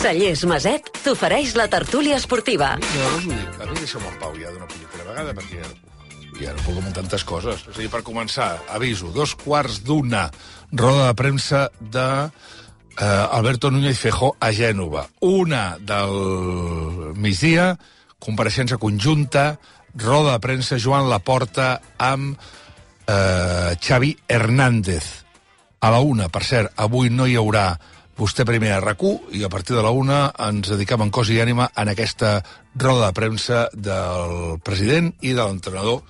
Cellers Maset t'ofereix la tertúlia esportiva. Llavors ho dic, a mi deixa'm en pau ja d'una punyetera vegada, perquè ja no puc amb tantes coses. És a dir, per començar, aviso, 2:15, roda de premsa de Alberto Núñez Feijóo a Gènova. 1 del migdia, compareixença conjunta, roda de premsa Joan Laporta amb Xavi Hernández. A la 1, per cert, avui no hi haurà Vostè primer a RAC1 i a partir de la 1 ens dedicam en cos i ànima en aquesta roda de premsa del president i de l'entrenador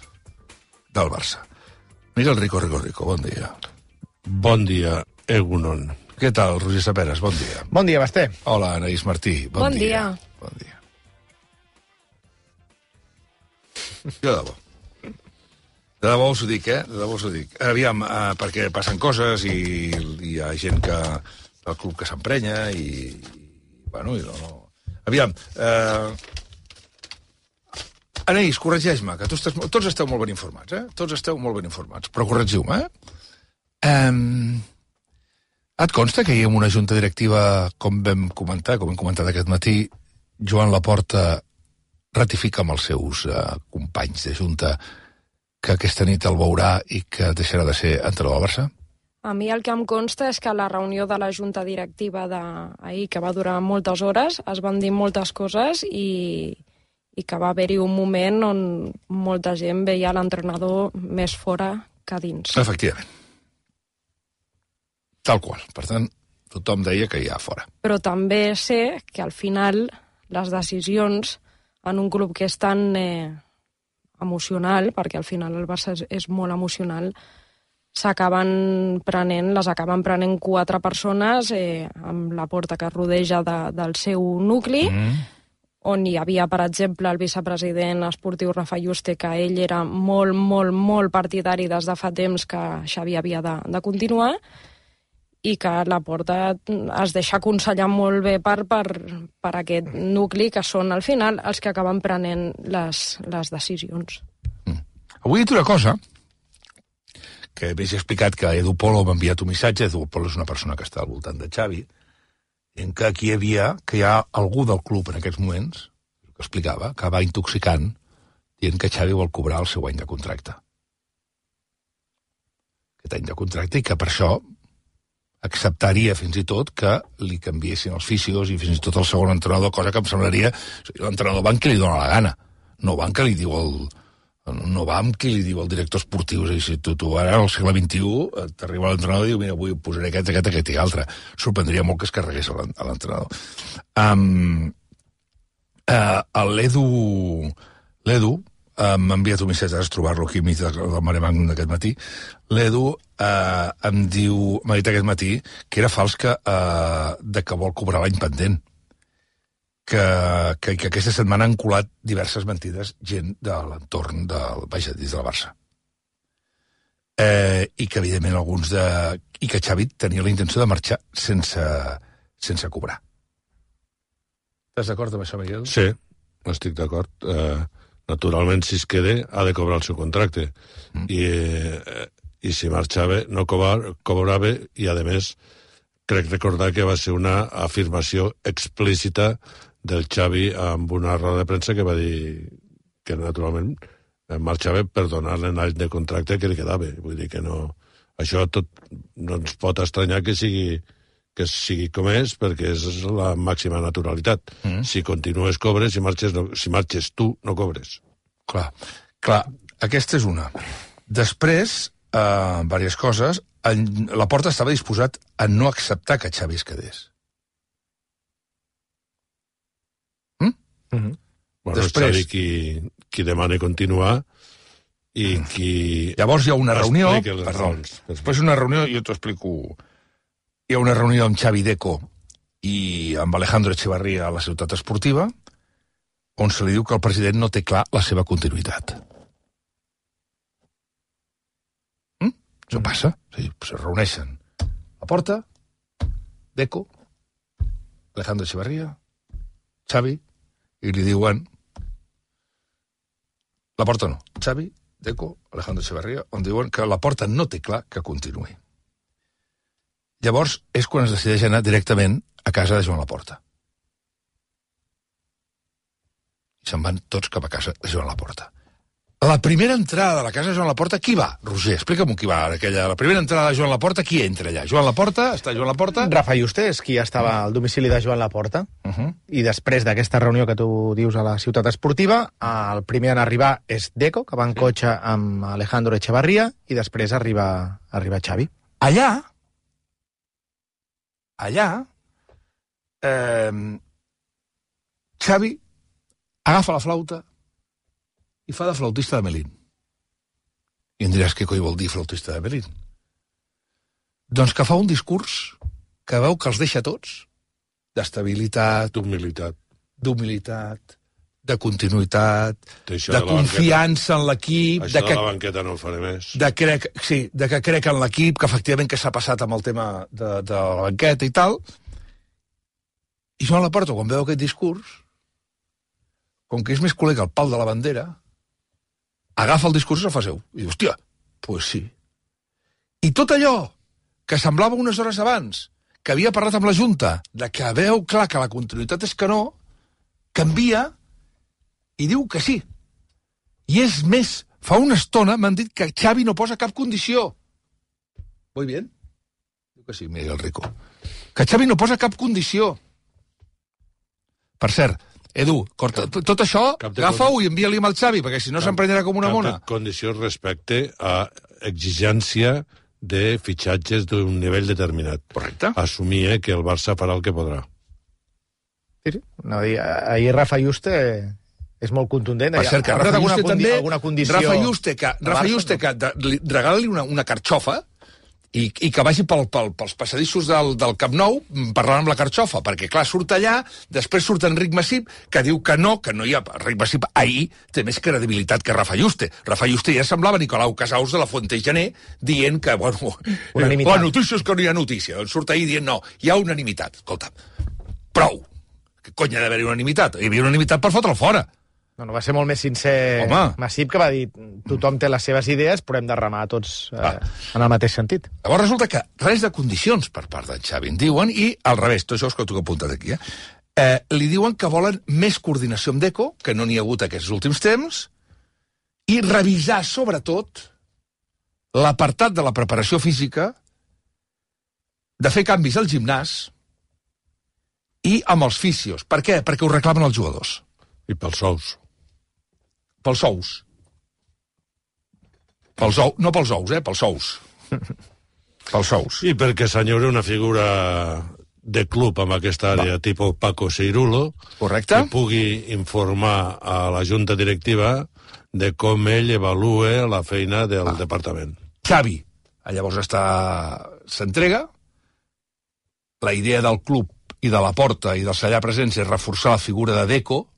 del Barça. Miguel Rico, bon dia. Bon dia, Egunon. Què tal, Roger Saperes? Bon dia. Bon dia, Basté. Hola, Anaïs Martí. Bon dia. Bon dia. Jo de debò. De debò us ho dic, De debò us ho dic. Aviam, perquè passen coses i hi ha gent que el club que s'emprenya i bueno, i no... Aviam, Anaïs, corregeix-me, que tots esteu molt ben informats, Tots esteu molt ben informats, però corregiu-me, Et consta que hi ha una junta directiva, com hem comentat aquest matí, Joan Laporta ratifica amb els seus companys de junta que aquesta nit el veurà i que deixarà de ser entrenador del Barça? A mi el que em consta és que la reunió de la junta directiva d'ahir, que va durar moltes hores, es van dir moltes coses i que va haver-hi un moment on molta gent veia l'entrenador més fora que dins. Efectivament. Tal qual. Per tant, tothom deia que hi ha fora. Però també sé que al final les decisions en un club que és tan emocional, perquè al final el Barça és molt emocional, les acaben prenent 4 persones amb la porta que rodeja del seu nucli, on hi havia, per exemple, el vicepresident esportiu Rafa Yuste, que ell era molt, molt, molt partidari des de fa temps que Xavi havia de continuar, i que Laporta es deixa aconsellar molt bé per aquest nucli, que són, al final, els que acaben prenent les decisions. Avui he dit una cosa que m'he explicat que Edu Polo m'ha enviat un missatge. Edu Polo és una persona que està al voltant de Xavi, en què aquí hi ha algú del club en aquests moments, que explicava, que va intoxicant, dient que Xavi vol cobrar el seu any de contracte. Aquest any de contracte, i que per això acceptaria fins i tot que li canviessin els fisios i fins i tot el segon entrenador, cosa que em semblaria... L'entrenador va amb qui li dóna la gana, no va amb qui li diu el director esportiu. És a dir, si tu ara al segle XXI t'arriba l'entrenador i diu, mira, avui posaré aquest i altre. Sorprendria molt que es carregués a l'entrenador. L'Edu m'ha enviat un missatge, has de trobar-lo aquí enmig del Maremàgnum d'aquest matí. L'Edu m'ha dit aquest matí que era fals que vol cobrar l'any pendent. Que aquesta setmana han colat diverses mentides gent de l'entorn dins de la Barça. I que, evidentment, i que Xavi tenia la intenció de marxar sense cobrar. Estàs d'acord amb això, Miguel? Sí, estic d'acord. Naturalment, si es queda, ha de cobrar el seu contracte. I si marxava, no cobrava, i, a més, crec recordar que va ser una afirmació explícita del Xavi amb una roda de premsa que va dir que naturalment marxava per donar-li l'any de contracte que li quedava. Vull dir que no... Això tot no ens pot estranyar que sigui com és, perquè és la màxima naturalitat. Si continues, cobres, si marxes tu, no cobres. Clar, aquesta és una. Després, diverses coses, Laporta estava disposat a no acceptar que Xavi es quedés. Bueno, Després, qui demana continuar i qui... Llavors hi ha una reunió... Després una reunió, jo t'ho explico... Hi ha una reunió amb Xavi Deco i amb Alejandro Echevarría a la ciutat esportiva, on se li diu que el president no té clar la seva continuïtat. Això passa. Sí, se reuneixen Laporta, Deco, Alejandro Echevarría, Xavi, i li diuen... Laporta no. Xavi, Deco, Alejandro Echevarría, on diuen que Laporta no té clar que continuï. Llavors és quan es decideix anar directament a casa de Joan Laporta. se'n van tots cap a casa de Joan Laporta. La primera entrada de la casa de Joan Laporta, qui va? Roger, explica'm qui va. La primera entrada de Joan Laporta, qui entra allà? Joan Laporta, està Joan Laporta... Rafa Juste és qui estava al domicili de Joan Laporta, i després d'aquesta reunió que tu dius a la ciutat esportiva, el primer en arribar és Deco, que va en cotxe amb Alejandro Echevarría, i després arriba Xavi. Allà, Xavi agafa la flauta i fa de flautista de Melín. I em diràs què coi vol dir flautista de Melín? Doncs que fa un discurs que veu que els deixa tots, d'estabilitat, d'humilitat, de continuïtat, de confiança en l'equip... Això de la banqueta no ho faré més. De que crec en l'equip, que efectivament que s'ha passat amb el tema de la banqueta i tal. I Joan Laporta, quan veu aquest discurs, com que és més col·lega el pal de la bandera, agafa el discurs i el fa seu. I diu, hòstia, pues sí. I tot allò que semblava unes hores abans, que havia parlat amb la Junta, de que veu clar que la continuïtat és que no, canvia i diu que sí. I és més, fa una estona m'han dit que Xavi no posa cap condició. Voy bien? Diu que sí, Miguel Rico. Que Xavi no posa cap condició. Per cert, Edu, tot això, agafa-ho i envia-li amb el Xavi, perquè si no s'emprenyarà com una mona. Cap condició respecte a exigència de fitxatges d'un nivell determinat. Correcte. Assumir que el Barça farà el que podrà. Sí. No, ahir Rafa Juste és molt contundent. Per cert, que Rafa Juste també... Rafa Juste, que regala-li una carxofa i que vagi pels passadissos del Camp Nou parlant amb la carxofa, perquè clar, surt allà, després surt Enric Massip, que diu que no hi ha... Enric Massip ahir té més credibilitat que Rafa Juste. Rafa Juste ja semblava Nicolau Casaus de la Fuente Gené dient que, bueno, la notícia és que no hi ha notícia. Doncs surt ahir dient, no, hi ha unanimitat. Escolta, prou. Que cony ha d'haver-hi unanimitat? Hi havia unanimitat per fotre'l fora. No, va ser molt més sincer Massip, que va dir tothom té les seves idees, però hem de remar tots en el mateix sentit. Llavors resulta que res de condicions per part d'en Xavi, en diuen, i al revés, tot això és que t'ho he apuntat aquí, li diuen que volen més coordinació amb Deco, que no n'hi ha hagut aquests últims temps, i revisar, sobretot, l'apartat de la preparació física, de fer canvis al gimnàs i amb els fisios. Per què? Perquè ho reclamen els jugadors. I pels sous. Pels sous. No pels ous, pels sous. Pels sous. I perquè s'enyora una figura de club amb aquesta àrea, tipus Paco Seirulo, correcte, que pugui informar a la junta directiva de com ell evalua la feina del departament. Xavi, llavors s'entrega, la idea del club i de la Porta i del allà presents és reforçar la figura de Deco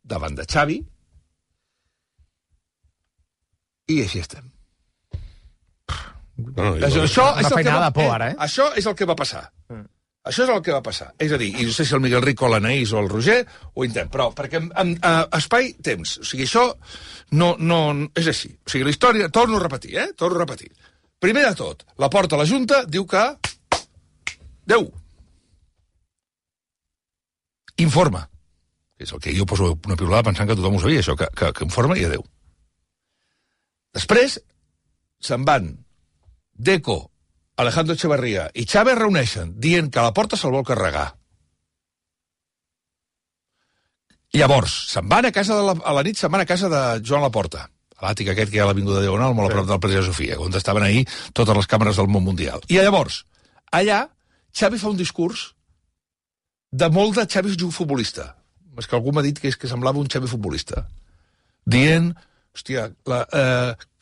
davant de Xavi, i així estem. Això és el que va passar. Això és el que va passar. És a dir, i no sé si el Miguel Rico, l'Anaís o el Roger ho intenten, però perquè espai, temps. O sigui, això no és així. O sigui, la història, torno a repetir. Primer de tot, la Porta a la Junta diu que... Déu. Informa. És el que jo poso una piulada pensant que tothom ho sabia, això, que informa i adéu. Després se'n van Deco, Alejandro Echevarría i Xavi es reuneixen dient que la Porta se'l vol carregar. Llavors, se'n van a la nit se'n van a casa de Joan Laporta, a l'àtic aquest que hi ha a l'Avinguda Diagonal, molt a prop del President Sofia, on estaven ahir totes les càmeres del món mundial. I llavors, allà, Xavi fa un discurs de molt de Xavi futbolista. És que algú m'ha dit que semblava un Xavi futbolista. Dient... Hòstia,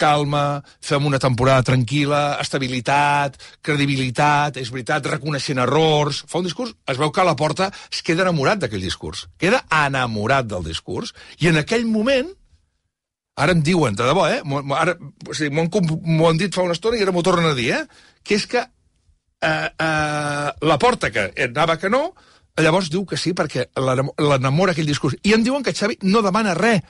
calma, fem una temporada tranquil·la, estabilitat, credibilitat, és veritat, reconeixent errors... Fa un discurs, es veu que a la Porta es queda enamorat d'aquell discurs. Queda enamorat del discurs. I en aquell moment, ara em diuen, de debò, m'ho han dit fa una estona i ara m'ho tornen a dir, que és que la Porta, que anava que no, llavors diu que sí perquè l'enamora aquell discurs. I em diuen que Xavi no demana res,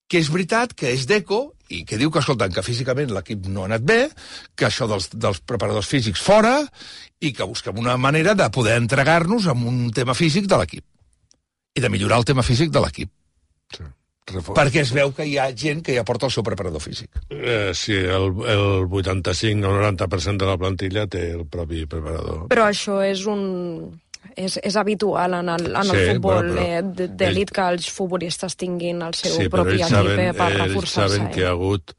que és veritat, que és Deco, i que diu que, escolten, que físicament l'equip no ha anat bé, que això dels preparadors físics fora, i que busquem una manera de poder entregar-nos amb un tema físic de l'equip. I de millorar el tema físic de l'equip. Sí. Perquè es veu que hi ha gent que ja porta el seu preparador físic. Sí, el 85 o 90% de la plantilla té el propi preparador. Però això és habitual en el futbol d'elit que els futbolistes tinguin el seu propi equip per reforçar-se. Ells saben que hi ha hagut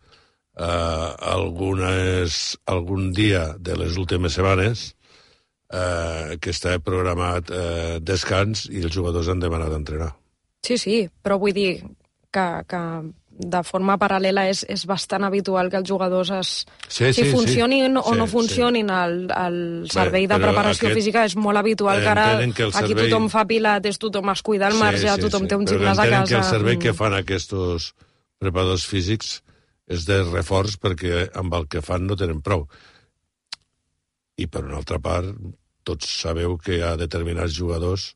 algun dia de les últimes setmanes que està programat descans i els jugadors han demanat entrenar. Sí, però vull dir que de forma paral·lela és bastant habitual que els jugadors funcionin o no funcionin al servei de preparació física. És molt habitual que ara aquí tothom fa pilates, tothom es cuida al marge, tothom té un gimnàs a casa. Que el servei que fan aquests preparadors físics és de reforç perquè amb el que fan no tenen prou. I per una altra part, tots sabeu que hi ha determinats jugadors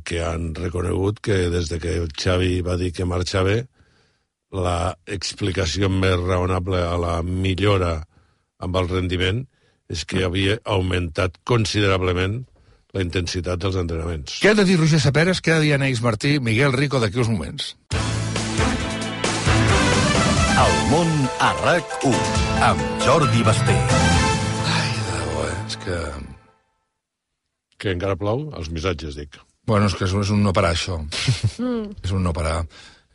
que han reconegut que des de que el Xavi va dir que marxava, la explicació més raonable a la millora amb el rendiment és que havia augmentat considerablement la intensitat dels entrenaments. Què ha de dir Roger Saperes, què ha de dir Anaïs Martí, Miguel Rico d'aquí uns moments? El món a RAC1 amb Jordi Basté. Ai, de bo, és que... Que encara plou? Els missatges, dic. Bueno, és que és un no parar, això. És un no parar.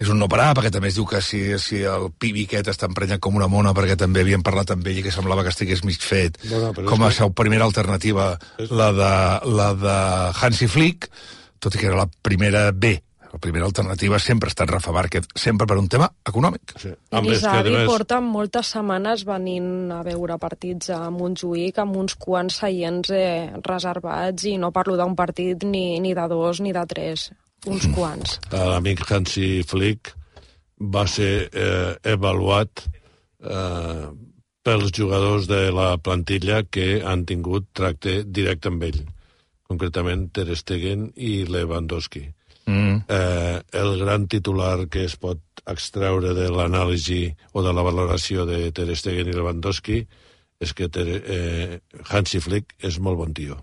És un no parar, perquè també es diu que si el pibi aquest està emprenyat com una mona, perquè també havien parlat amb ell i que semblava que estigués mig fet, com a seva primera alternativa, la de Hansi Flick, tot i que era la primera B. La primera alternativa sempre ha estat Rafa Márquez, sempre per un tema econòmic. Sí. Inzaghi porta moltes setmanes venint a veure partits a Montjuïc amb uns quants seients reservats, i no parlo d'un partit ni de dos ni de tres, uns quants. L'amic Hansi Flick va ser avaluat pels jugadors de la plantilla que han tingut tracte directe amb ell, concretament Ter Stegen i Lewandowski. El gran titular que es pot extreure de l'anàlisi o de la valoració de Ter Stegen i Lewandowski és que Hansi Flick és molt bon tio.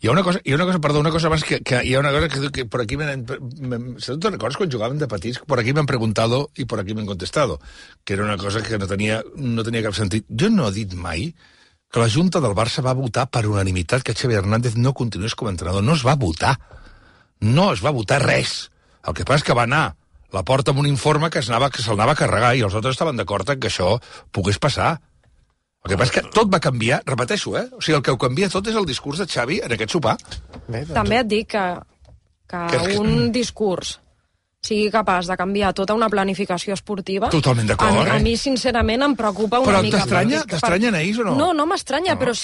Hi ha una cosa abans que hi ha una cosa que por aquí ¿te recuerdas quan jugaven de petits? Por aquí m'han preguntado y por aquí m'han contestado, que era una cosa que no tenia cap sentit. Jo no he dit mai que la Junta del Barça va votar per unanimitat que Xavi Hernández no continués com a entrenador. No es va votar. No es va votar res. El que passa és que va anar la porta amb un informe que se'l anava a carregar i els altres estaven d'acord en que això pogués passar. El que passa és que tot va canviar, repeteixo, O sigui, el que ho canvia tot és el discurs de Xavi en aquest sopar. També et dic que un discurs sigui capaç de canviar tota una planificació esportiva... Totalment d'acord, A mi, sincerament, em preocupa una mica. Però t'estranya, Anaïs, o no? No m'estranya, però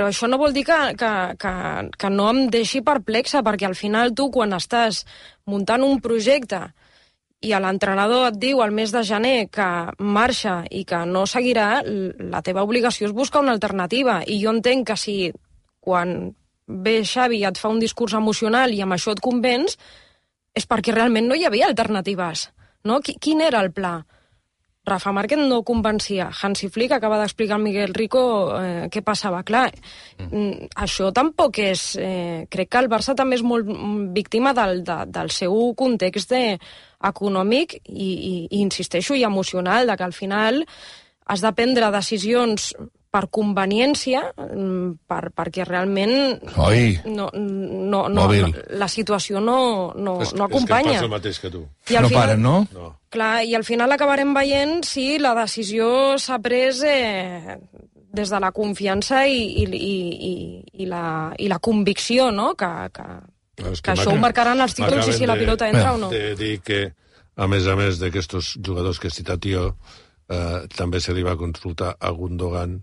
això no vol dir que no em deixi perplexa, perquè al final tu, quan estàs muntant un projecte i l'entrenador et diu al mes de gener que marxa i que no seguirà, la teva obligació és buscar una alternativa. I jo entenc que si quan ve Xavi et fa un discurs emocional i amb això et convenç, és perquè realment no hi havia alternatives, no? Quin era el pla? Rafa Márquez no convencia. Hansi Flick acaba d'explicar al Miguel Rico què passava. Clar, això tampoc és... crec que el Barça també és molt víctima del seu context econòmic i insisteixo, i emocional, de que al final has de prendre decisions per conveniència, perquè realment la situació no acompanya. És que passa el mateix que tu. No paren, no? No. Clar, i al final acabarem veient si la decisió s'ha pres des de la confiança i la convicció, no? Que això ho marcaran els títols i si la pilota entra o no. De dir que, a més d'aquests jugadors que he citat jo, també se li va consultar a Gundogan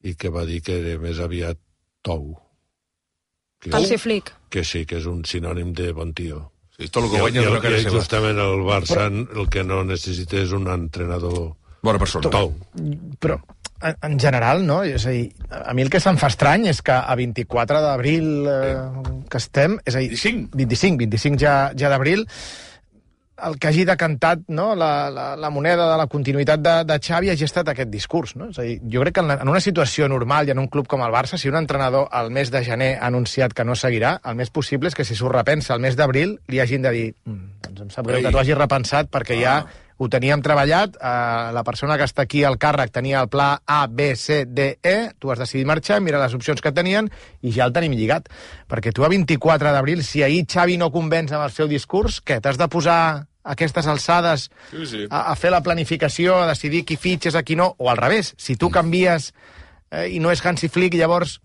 i que va dir que era més aviat tou. Hansi Flick. Que sí, que és un sinònim de bon tio. Sí, tot el que guanya és una cara seva. Justament el Barça el que no necessita és un entrenador bona persona. Tou. Però, en general, no? És a dir, a mi el que se'm fa estrany és que a 24 d'abril que estem, és a dir, 25 ja d'abril, el que hagi decantat, no, la moneda de la continuïtat de Xavi hagi estat aquest discurs. No? És a dir, jo crec que en una situació normal i en un club com el Barça, si un entrenador al mes de gener ha anunciat que no seguirà, el més possible és que si s'ho repensa el mes d'abril li hagin de dir doncs em sap greu que t'ho hagis repensat perquè ja ho teníem treballat, la persona que està aquí al càrrec tenia el pla A, B, C, D, E, tu has decidit marxar, mira les opcions que tenien i ja el tenim lligat. Perquè tu a 24 d'abril, si ahir Xavi no convenç amb el seu discurs, què, t'has de posar a aquestes alçades a fer la planificació, a decidir qui fitxes, a qui no, o al revés, si tu canvies i no és Hansi Flick, llavors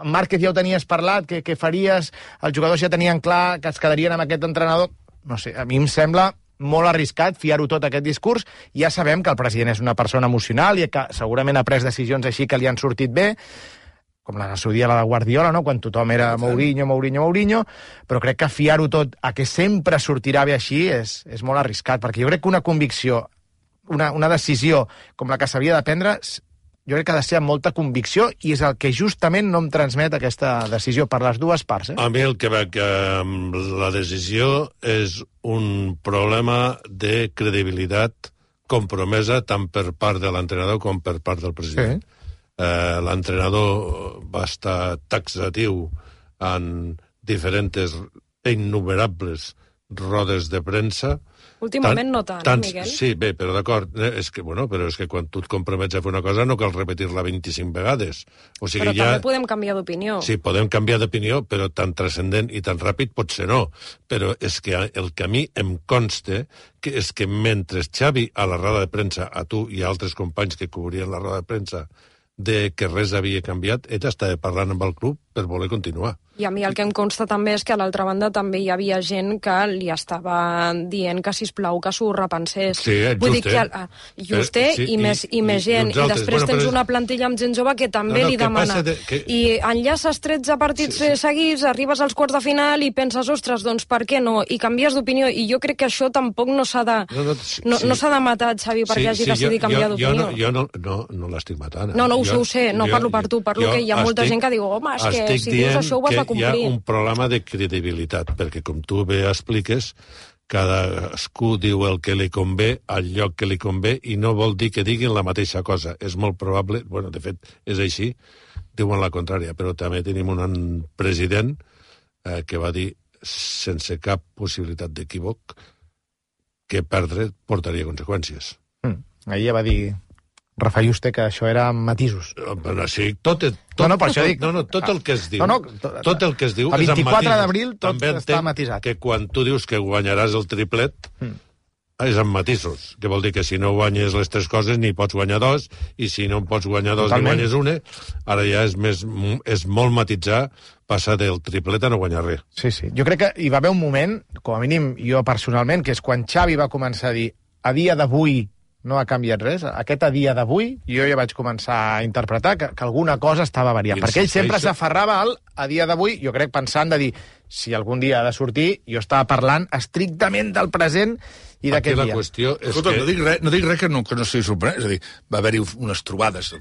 Márquez ja ho tenies parlat, què faries, els jugadors ja tenien clar que es quedarien amb aquest entrenador, no sé, a mi em sembla molt arriscat fiar-ho tot a aquest discurs. Ja sabem que el president és una persona emocional i que segurament ha pres decisions així que li han sortit bé, com la seu dia la de Guardiola, no? Quan tothom era Mourinho, però crec que fiar-ho tot a que sempre sortirà bé així és molt arriscat, perquè jo crec que una convicció, una decisió com la que s'havia de prendre, jo crec que ha de ser amb molta convicció i és el que justament no em transmet aquesta decisió per les dues parts. A mi el que veig amb la decisió és un problema de credibilitat compromesa tant per part de l'entrenador com per part del president. Sí. L'entrenador va estar taxatiu en diferents innumerables rodes de premsa. Últimament no tant, Miguel? Sí, bé, però d'acord, però és que quan tu et compromets a fer una cosa no cal repetir-la 25 vegades. O sigui, però també podem canviar d'opinió. Sí, podem canviar d'opinió, però tan transcendent i tan ràpid potser no. Però és que el que a mi em consta és que mentre Xavi a la roda de premsa, a tu i a altres companys que cobrien la roda de premsa, de que res havia canviat, ell estava parlant amb el club per voler continuar. I a mi el que em consta també és que a l'altra banda també hi havia gent que li estava dient que, sisplau, que s'ho repensés. Sí, vull dir que just i més gent. I després tens una plantilla amb gent jove que també li demana. I enllaces 13 partits seguits, arribes als quarts de final i penses, ostres, doncs per què no? I canvies d'opinió. I jo crec que això tampoc no s'ha de matar, Xavi, perquè hagi decidit canviar d'opinió. Jo no l'estic matant. No, ho sé, no parlo per tu, parlo que hi ha molta gent que diu, home, és que si dius això ho vas a complir. Hi ha un problema de credibilitat, perquè com tu bé expliques, cadascú diu el que li convé al lloc que li convé i no vol dir que diguin la mateixa cosa. És molt probable, bueno, de fet, és així, diuen la contrària, però també tenim un president que va dir, sense cap possibilitat d'equívoc, que perdre portaria conseqüències. Ahir ja va dir Rafa Juste que això era matisos. Sí, tot el que es diu. Tot el que es diu el 24 d'abril tot també està matisat. Que quan tu dius que guanyaràs el triplet, és amb matisos, que vol dir que si no guanyes les tres coses ni pots guanyar dos, i si no en pots guanyar dos ni guanyes una, ara ja és molt matitzar passar del triplet a no guanyar res. Sí. Jo crec que hi va haver un moment, com a mínim jo personalment, que és quan Xavi va començar a dir a dia d'avui no ha canviat res. Aquest a dia d'avui jo ja vaig començar a interpretar que alguna cosa estava variant. Perquè ell sempre s'aferrava al a dia d'avui, jo crec pensant de dir si algun dia ha de sortir, jo estava parlant estrictament del present i d'aquest dia. La qüestió és escolta, no dic res que no sigui sorprenent. És a dir, va haver-hi unes trobades.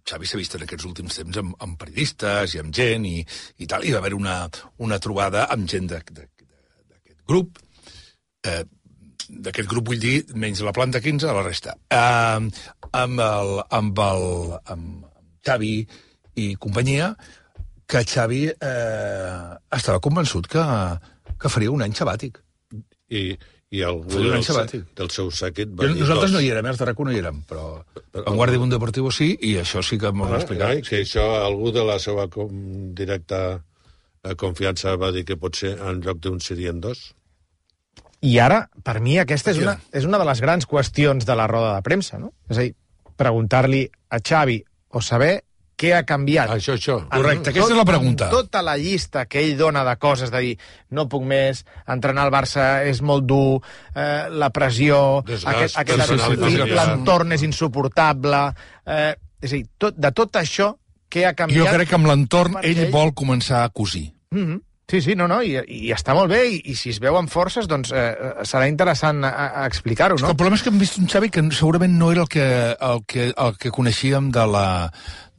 Xavi s'ha vist en aquests últims temps amb periodistes i amb gent i tal, i va haver una trobada amb gent d'aquest grup, d'aquest grup vull dir, menys la planta 15, a la resta. Amb Xavi i companyia, que Xavi estava convençut que faria un any sabàtic. I algú del seu sèquit va dir... Nosaltres no hi érem, els de RAC1 no hi érem, però en Guàrdia Mundo Deportivo sí, i això sí que m'ho va explicar. Que això algú de la seva directa confiança va dir que potser en lloc d'un serien dos. I ara, per mi, aquesta és una de les grans qüestions de la roda de premsa, no? És a dir, preguntar-li a Xavi o saber què ha canviat. Això. Correcte, aquesta és la pregunta. Tota la llista que ell dona de coses, de dir, no puc més, entrenar al Barça és molt dur, la pressió, l'entorn és insuportable... És a dir, de tot això, què ha canviat... Jo crec que amb l'entorn ell vol començar a cosir. Sí, i està molt bé, i si es veuen forces, doncs serà interessant explicar-ho, no? El problema és que hem vist un Xavi que segurament no era el que coneixíem de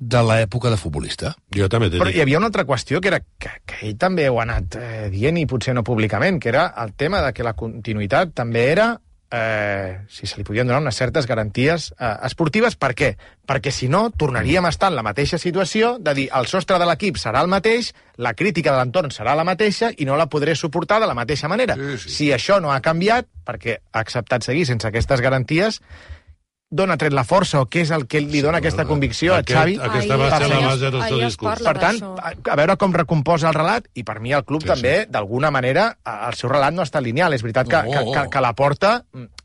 de l'època de futbolista. Jo també t'he Però dit. hi havia una altra qüestió que era que ell també ho ha anat dient i potser no públicament, que era el tema de que la continuïtat també era si se li podien donar unes certes garanties esportives. Per què? Perquè si no, tornaríem a estar en la mateixa situació de dir el sostre de l'equip serà el mateix, la crítica de l'entorn serà la mateixa i no la podré suportar de la mateixa manera. Sí. Si això no ha canviat, perquè ha acceptat seguir sense aquestes garanties, d'on ha tret la força o què és el que li dona aquesta convicció a Xavi? Aquesta va ser la base del seu discurs. Per tant, a veure com recomposa el relat, i per mi el club també, d'alguna manera, el seu relat no està lineal. És veritat que la Porta,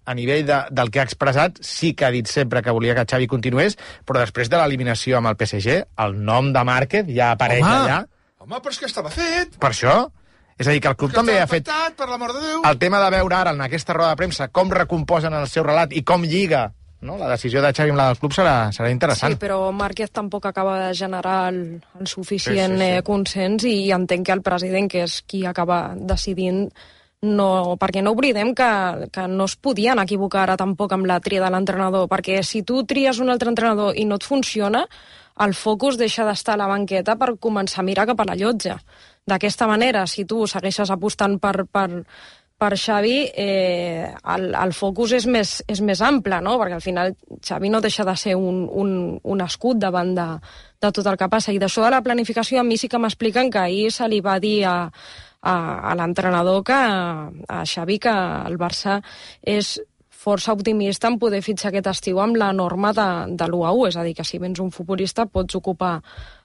a nivell del que ha expressat, sí que ha dit sempre que volia que Xavi continués, però després de l'eliminació amb el PSG, el nom de Márquez ja apareix allà. Home, però és que estava fet. Per això... És a dir, que el club també ha fet per l'amor de Déu. el tema de veure ara en aquesta roda de premsa com recomposen el seu relat i com lliga, no? La decisió de Xavi amb la del club serà interessant. Sí, però Márquez tampoc acaba de generar el suficient consens i entenc que el president, que és qui acaba decidint, no, perquè no oblidem que no es podien equivocar ara tampoc amb la tria de l'entrenador, perquè si tu tries un altre entrenador i no et funciona, el focus deixa d'estar a la banqueta per començar a mirar cap a la llotja. D'aquesta manera, si tu segueixes apostant per Xavi, el focus és més ample, no? Perquè al final Xavi no deixa de ser un escut davant de tot el que passa. I d'això de la planificació a mi sí que m'expliquen que ahir se li va dir a l'entrenador, a Xavi, que el Barça és força optimista en poder fitxar aquest estiu amb la norma de l'1-1, és a dir, que si vens un futbolista pots ocupar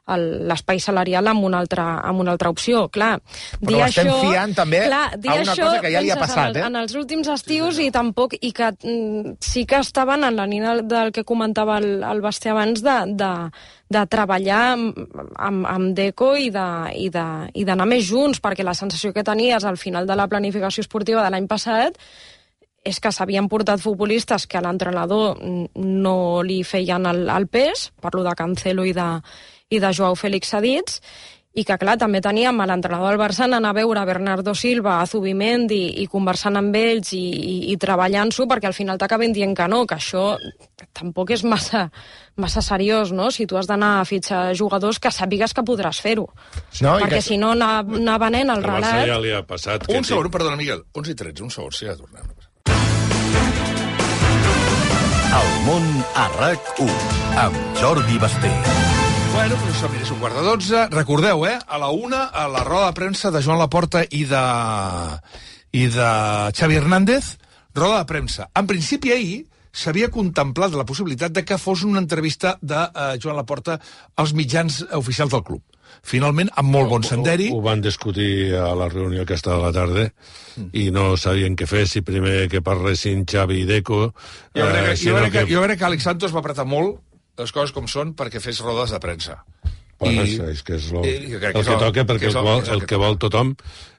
l'espai salarial amb una altra opció. Clar, però estem fiant també a una cosa que ja li ha passat. En els últims estius i tampoc, i que sí que estaven en la línia del que comentava el Basté abans de treballar amb Deco i d'anar més junts, perquè la sensació que tenies al final de la planificació esportiva de l'any passat és que s'havien portat futbolistes que a l'entrenador no li feien el pes, parlo de Cancelo i de Joao Félix cedits, i que, clar, també teníem a l'entrenador del Barça anar a veure Bernardo Silva, a Zubimendi, i conversant amb ells i treballant-s'ho, perquè al final t'acaben dient que no, que això tampoc és massa seriós, no? Si tu has d'anar a fitxar jugadors que sàpigues que podràs fer-ho. No, perquè si no anar venent el relat... Barça ja li ha passat. Un segon, perdona, Miguel. 11:13, un segon, sí, ja tornem. El món a RAC1, amb Jordi Basté. Bueno, doncs som és 11:15. Recordeu, a la 1, a la roda de premsa de Joan Laporta i de Xavi Hernández, roda de premsa. En principi, ahir s'havia contemplat la possibilitat de que fos una entrevista de Joan Laporta als mitjans oficials del club. Finalment, amb molt bon senderi... Ho van discutir a la reunió aquesta de la tarda i no sabien què fer, si primer que parlessin Xavi i Deco... Jo crec que Alex Santos va apretar molt les coses com són perquè fes rodes de premsa. Bueno, és que és el que toca, perquè el que vol tothom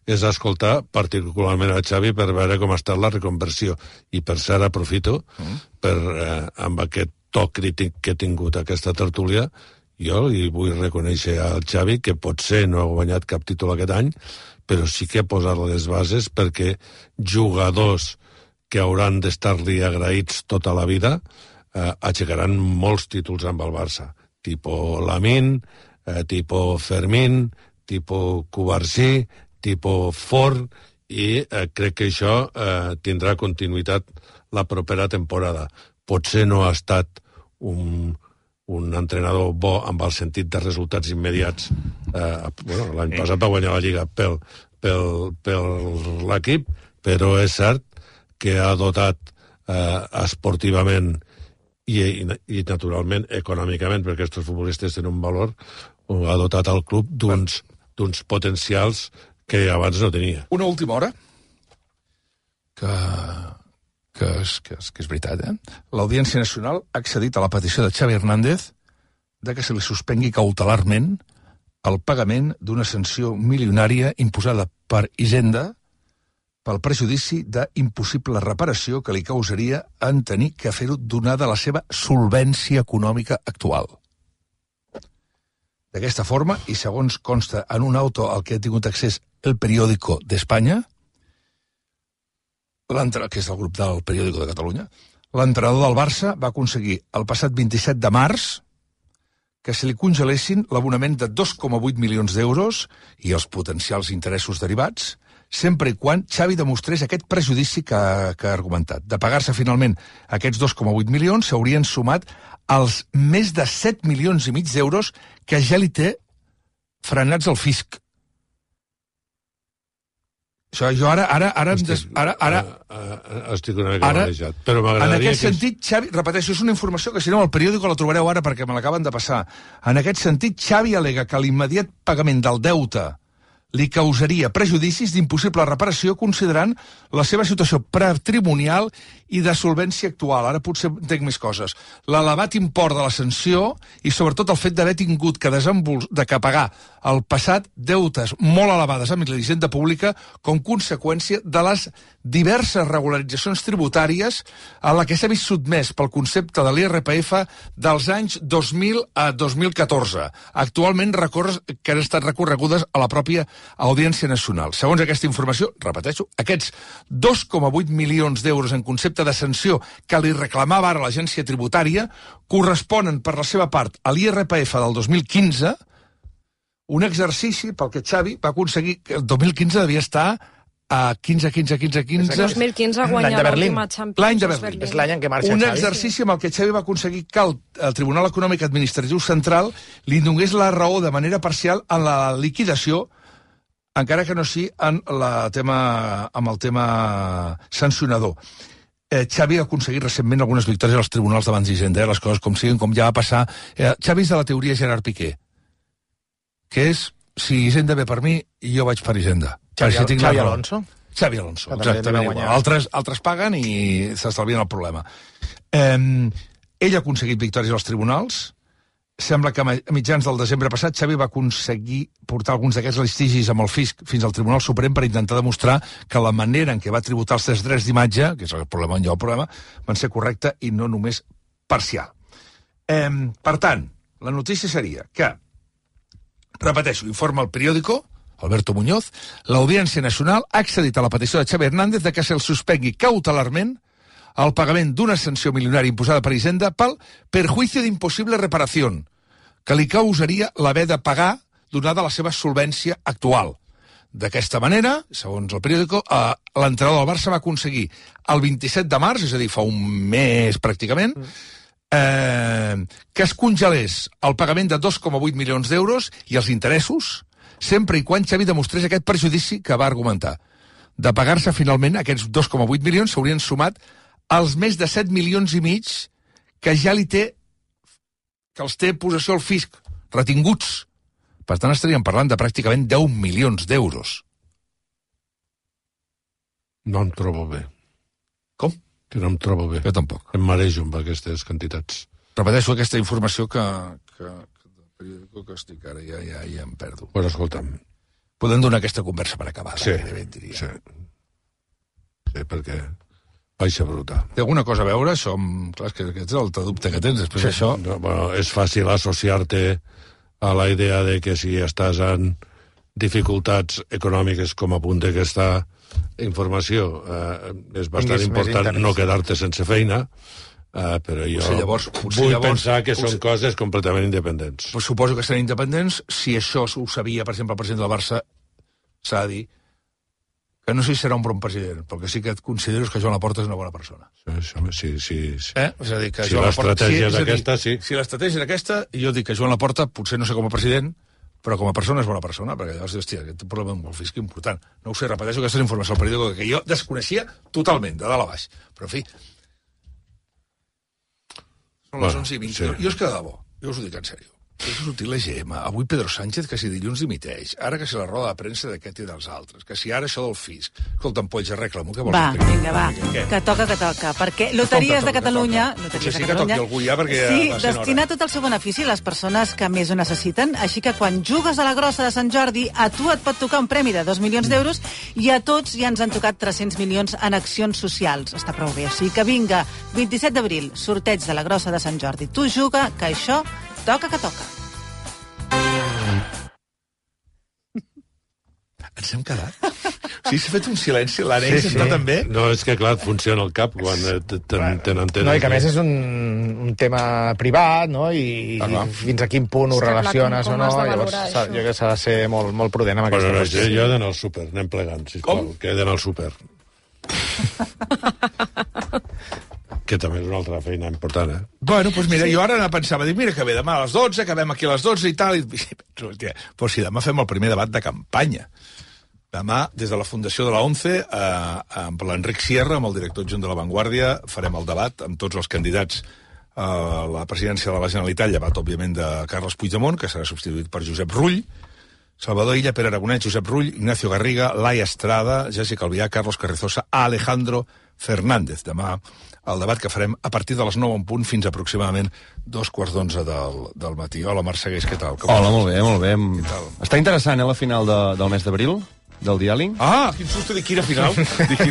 és escoltar particularment a Xavi per veure com ha estat la reconversió. I per cert, aprofito amb aquest to crític que he tingut aquesta tertúlia, jo li vull reconèixer al Xavi que potser no ha guanyat cap títol aquest any, però sí que ha posat les bases perquè jugadors que hauran d'estar-li agraïts tota la vida aixecaran molts títols amb el Barça. Tipo Lamine, tipo Fermín, tipo Cubarsí, tipo Ford, i crec que això tindrà continuïtat la propera temporada. Potser no ha estat un entrenador bo amb el sentit de resultats immediats. L'any passat va guanyar la Lliga pel l'equip, però és cert que ha dotat esportivament i naturalment econòmicament, perquè aquests futbolistes tenen un valor, ha dotat el club d'uns potencials que abans no tenia. Una última hora, que és veritat, l'Audiència Nacional ha accedit a la petició de Xavi Hernández de que se li suspengui cautelarment el pagament d'una sanció milionària imposada per Hisenda pel prejudici d'impossible reparació que li causaria en tenir que fer-ho donada la seva solvència econòmica actual. D'aquesta forma, i segons consta en un auto al que ha tingut accés El Periódico d'Espanya, que és el grup del Periódico de Catalunya, l'entrenador del Barça va aconseguir el passat 27 de març que se li congelessin l'abonament de 2,8 milions d'euros i els potencials interessos derivats, sempre i quan Xavi demostrés aquest prejudici que ha argumentat. De pagar-se finalment aquests 2,8 milions, s'haurien sumat als més de 7 milions i mig d'euros que ja li té frenats al fisc. Això, jo estic una mica barrejat, però m'agradaria... En aquest sentit, Xavi, repeteixo, és una informació que si no al periòdico la trobareu ara perquè me l'acaben de passar. En aquest sentit, Xavi al·lega que l'immediat pagament del deute li causaria prejudicis d'impossible reparació considerant la seva situació patrimonial i de solvència actual. Ara potser entenc més coses. L'elevat import de la sanció i sobretot el fet d'haver tingut que pagar al passat deutes molt elevades amb la hisenda pública com conseqüència de les diverses regularitzacions tributàries a la que s'ha vist sotmès pel concepte de l'IRPF dels anys 2000 a 2014. Actualment que han estat recorregudes a la pròpia Audiència Nacional. Segons aquesta informació, repeteixo, aquests 2,8 milions d'euros en concepte de sanció que li reclamava ara l'agència tributària corresponen per la seva part a l'IRPF del 2015, un exercici pel que Xavi va aconseguir que el 2015 devia estar a 15... El 2015 ha guanyat l'última Champions. L'any de Berlín. És l'any en què marxa Un Xavi. exercici amb el que Xavi va aconseguir que el Tribunal Econòmic Administratiu Central li donés la raó de manera parcial en la liquidació, encara que no sigui amb el tema sancionador. Xavi ha aconseguit recentment algunes victòries als tribunals davant d'Hisenda, les coses com siguin, com ja va passar. Xavi és de la teoria Gerard Piqué, que és, si Hisenda ve per mi, jo vaig per Hisenda. Xavi Alonso? Xavi Alonso, exactament igual. Altres paguen i s'estalvien el problema. Ell ha aconseguit victòries als tribunals. Sembla que a mitjans del desembre passat Xavi va aconseguir portar alguns d'aquests litigis amb el fisc fins al Tribunal Suprem per intentar demostrar que la manera en què va tributar els drets d'imatge, que és el problema on hi ha el problema, van ser correcta i no només parcial. Per tant, la notícia seria que, repeteixo, informa el periòdico, Alberto Muñoz, l'Audiència Nacional ha accedit a la petició de Xavi Hernández de que se'l suspengui cautelarment el pagament d'una sanció milionària imposada per Hisenda pel perjuicio d'impossible reparació, que li causaria l'haver de pagar donada la seva solvència actual. D'aquesta manera, segons el periòdico, l'entrenador del Barça va aconseguir el 27 de març, és a dir, fa un mes pràcticament, que es congelés el pagament de 2,8 milions d'euros i els interessos, sempre i quan Xavi demostrés aquest perjudici que va argumentar. De pagar-se finalment aquests 2,8 milions s'haurien sumat als més de 7 milions i mig que ja li té, que els té possessió el fisc, retinguts. Per tant, estaríem parlant de pràcticament 10 milions d'euros. No em trobo bé. Com? Que no em trobo bé. Jo tampoc. Em marejo amb aquestes quantitats. Repeteixo aquesta informació que estic ara, ja em perdo. Bueno, escolta'm. Podem donar aquesta conversa per acabar. Sí, perquè baixa bruta. Té alguna cosa a veure, això? Clar, és que aquest és l'altre dubte que tens. Després això... No, bueno, és fàcil associar-te a la idea de que si estàs en dificultats econòmiques com apunta aquesta informació, és bastant important no quedar-te sense feina, però jo vull pensar que són coses completament independents. Pues suposo que seran independents. Si això ho sabia, per exemple, el president del Barça, s'ha de dir que no sé si serà un bon president, perquè sí que et considero que Joan Laporta és una bona persona. Sí. És a dir, que si l'estratègia és aquesta, sí. Si l'estratègia és aquesta, jo dic que Joan Laporta, potser no sé com a president, però com a persona és bona persona, perquè llavors, hòstia, aquest problema amb el fisc important. No ho sé, repeteixo aquesta informació al periòdico que jo desconeixia totalment, de dalt a baix. Però, en fi, són les 11:20. Sí. Jo és que de debò, jo us ho dic en sèrio. És sortir la GM, avui Pedro Sánchez, que si dilluns dimiteix, ara que si la roda de premsa d'aquest i dels altres, que si ara això del fisc... Escolta'm, Polls, arregla-m'ho, què vols? Va, que toca, perquè Loteries de Catalunya... Sí que toqui algú ja, perquè ja destina tot el seu benefici a les persones que més ho necessiten, així que quan jugues a la grossa de Sant Jordi, a tu et pot tocar un premi de 2 milions d'euros i a tots ja ens han tocat 300 milions en accions socials. Està prou bé, o sigui que vinga, 27 d'abril, sorteig de la grossa de Sant Jordi. Tu juga, que això toca que toca. Ens hem quedat? O sigui, s'ha fet un silenci, l'Àlex està també... No, és que clar, et funciona el cap quan tenen... No, i que a més és un tema privat, no? I fins a quin punt ho relaciones o no. Llavors, jo crec que s'ha de ser molt prudent amb aquesta qüestió. Jo he d'anar al súper, anem plegant, sisplau, que he d'anar al súper. Que també és una altra feina important, eh? Bueno, doncs mira, jo ara pensava, dic, mira que bé, demà a les 12, acabem aquí a les 12 i tal, però si demà fem el primer debat de campanya. Demà, des de la Fundació de la ONCE, amb l'Enric Sierra, amb el director adjunt de La Vanguardia, farem el debat amb tots els candidats a la presidència de la Generalitat, llevat, òbviament, de Carles Puigdemont, que serà substituït per Josep Rull, Salvador Illa, Pere Aragonès, Josep Rull, Ignacio Garriga, Laia Estrada, Jessica Albiach, Carlos Carrizosa, Alejandro Fernández. Demà el debat que farem a partir de les 9 en punt fins aproximadament 2:15 del matí. Hola, Marc Segués, què tal? Hola, molt bé. Està interessant, la final del mes d'abril, del diàleg. Ah, quin susto, dic quina final.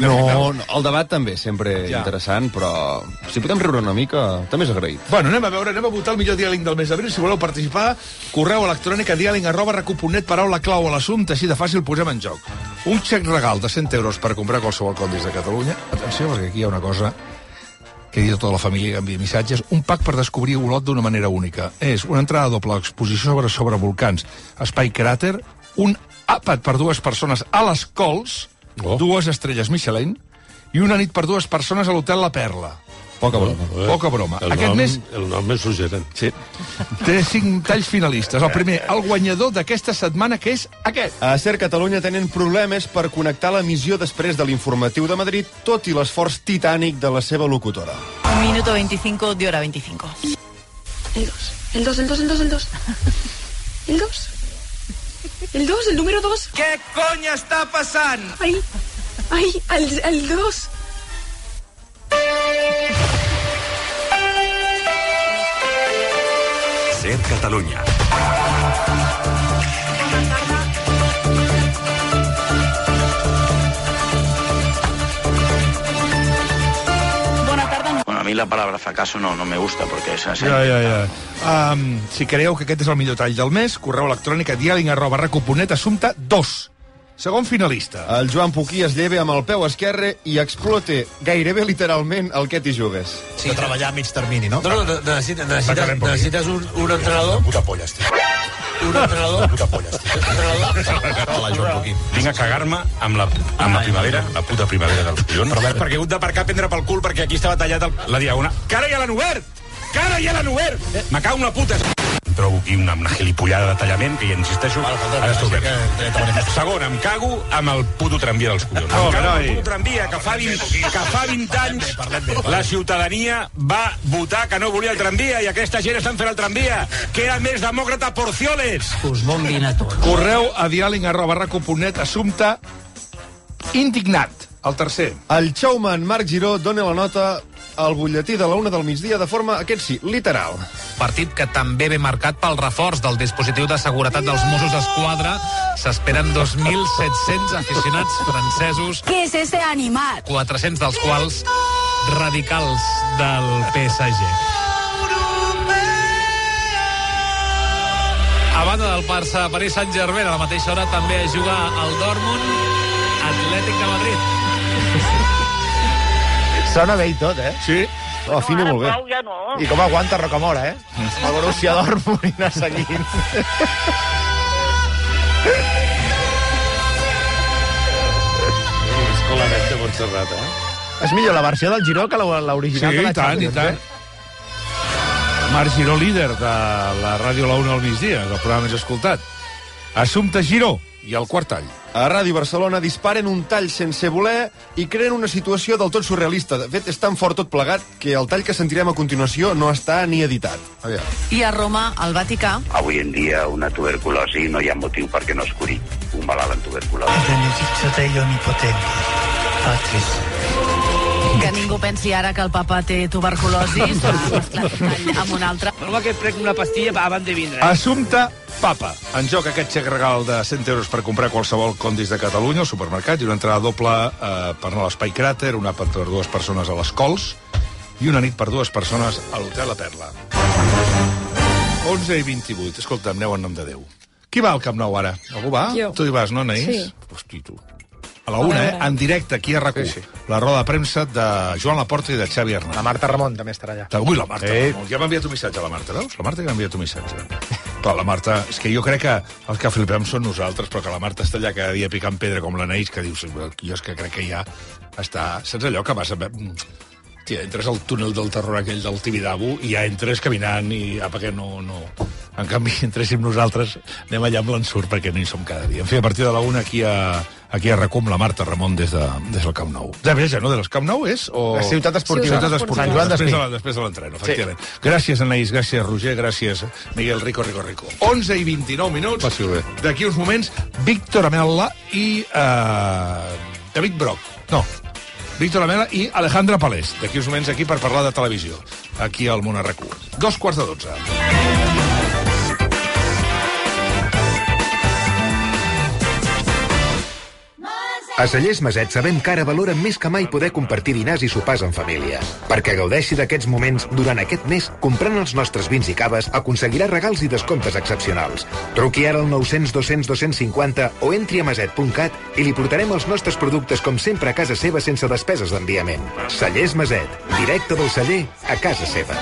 No, el debat també, sempre interessant, però si podem riure una mica, també és agraït. Bueno, anem a votar el millor diàleg del mes d'abril. Si voleu participar, correu electrònic a diàleg@recu.net, paraula clau a l'assumpte, així de fàcil posem en joc. Un xec regal de 100 euros per comprar qualsevol Condis de Catalunya. Atenció, perquè aquí hi ha una cosa que he dit a tota la família que envia missatges. Un pack per descobrir Olot d'una manera única. És una entrada doble, exposició sobre volcans, espai cràter, un àpat per 2 persones a les Cols, 2 estrelles Michelin, i una nit per 2 persones a l'Hotel La Perla. Poca broma. Poca broma. El nom és suggerent. Sí. Té 5 talls finalistes. El primer, el guanyador d'aquesta setmana, que és aquest. A Ser Catalunya tenen problemes per connectar l'emissió després de l'informatiu de Madrid, tot i l'esforç titànic de la seva locutora. 1 minuto 25 de hora 25. El 2. El 2, el número 2. Què cony està passant? Ai, el 2. Ser Catalunya. Buena tarde. Bueno, a mí la palabra fracaso no me gusta porque es así. Ja. Si creieu que aquest és el millor tall del mes, correu electrònic a diàleg@recu.net, assumpte 2. Segon finalista. El Joan Puquí es lleva amb el peu esquerre i explota gairebé literalment el que t'hi jugues. Sí, de treballar a mig termini, no? No, necessites un entrenador. Puta polla, estic. Un entrenador. Puta polla, estic. Hola, Joan Puquí. Vinc a cagar-me amb la primavera, la puta primavera dels collons. Però perquè he hagut d'aparcar a prendre pel cul perquè aquí estava tallat la diagonal. Que ara ja l'han obert! Me cago en la puta! Trobo aquí una gilipollada de tallament que ja insisteixo, ara està obert. Segon, em cago amb el puto tramvia dels collons. Em cago amb el puto tramvia, que fa 20 anys la ciutadania va votar que no volia el tramvia i aquesta gent estan fent el tramvia, que era més demòcrata Porcioles. Us bombin a tots. Correu a diàleg@recu.net, assumpte indignat. El tercer. El showman Marc Giró dona la nota al butlletí de la 1 del migdia de forma, aquest sí, literal. Partit que també ve marcat pel reforç del dispositiu de seguretat dels Mossos d'Esquadra. S'esperen 2.700 aficionats francesos. ¿Qué es ese animal? 400 dels quals radicals del PSG. A banda del Barça, Paris Saint-Germain, a la mateixa hora també a jugar al Dortmund, Atlètic de Madrid. Sona bé i tot, eh? Sí. Afina molt bé. Ja no. I com aguanta Rocamora, eh? El Borussia Dortmund i anar seguint. Escolanet de Montserrat, eh? És millor la versió del Giró que l'original Sí, de la i tant, i Champions, tant. Marc Giró, líder de la ràdio La 1 al migdia, el programa més escoltat. Assumpte Giró i el quart tall. A Ràdio Barcelona disparen un tall sense voler i creen una situació del tot surrealista. De fet, és tan fort tot plegat que el tall que sentirem a continuació no està ni editat. Aviam. I a Roma, al Vaticà... Avui en dia una tuberculosi no hi ha motiu perquè no es curi. Un malalt amb tuberculosi. Benedictio Dei Onnipotenti, Patris. Que ningú pensi ara que el papa té tuberculosi. S'ha mesclat un tall amb un altre. Home, que prenc una pastilla abans de vindre. Assumpte Papa. En joc aquest xec regal de 100 euros per comprar qualsevol Condis de Catalunya al supermercat i una entrada doble per anar a l'Espai Cràter, un àpat per 2 persones a les Cols i una nit per 2 persones a l'Hotel La Perla. 11:28. Escolta'm, aneu en nom de Déu. Qui va al Camp Nou ara? Algú va? Jo. Tu hi vas, no, Anaïs? Sí. Hosti, tu. A la 1, en directe, aquí a RAC1. Sí. La roda de premsa de Joan Laporta i de Xavi Hernández. La Marta Ramon també estarà allà. Ui, la Marta. Ja m'ha enviat un missatge a la Marta, veus? La Marta ja m'ha enviat un missatge. Però la Marta... És que jo crec que els que flipem són nosaltres, però que la Marta està allà cada dia picant pedra com l'Anaïs, que dius, jo és que crec que ja està... Saps allò que vas a... Tia, entres al túnel del terror aquell del Tibidabo i ja entres caminant i perquè no... En canvi, entréssim nosaltres, anem allà amb l'ensurt perquè no hi som cada dia. En fi, a partir de la 1 aquí a RAC1, la Marta Ramon des del Camp Nou. De Bella, no? De les Camp Nou és? O... La Ciutat Esportiva. Ciutat Esportiva. Sant Joan d'Espí. Després de l'entreno, efectivament. Sí. Gràcies, Anaïs, gràcies, Roger, gràcies, Miguel Rico. 11 i 29 minuts. Passi bé. D'aquí uns moments, Víctor Amela i David Broc. No, Víctor Amela i Alejandra Palés. D'aquí uns moments aquí per parlar de televisió. Aquí al Món a RAC1. 11:45. A Cellers Maset sabem que ara valora més que mai poder compartir dinars i sopars en família. Perquè gaudeixi d'aquests moments durant aquest mes, comprant els nostres vins i caves, aconseguirà regals i descomptes excepcionals. Truqui ara al 900 200 250 o entri a maset.cat i li portarem els nostres productes com sempre a casa seva sense despeses d'enviament. Cellers Maset, directe del celler a casa seva.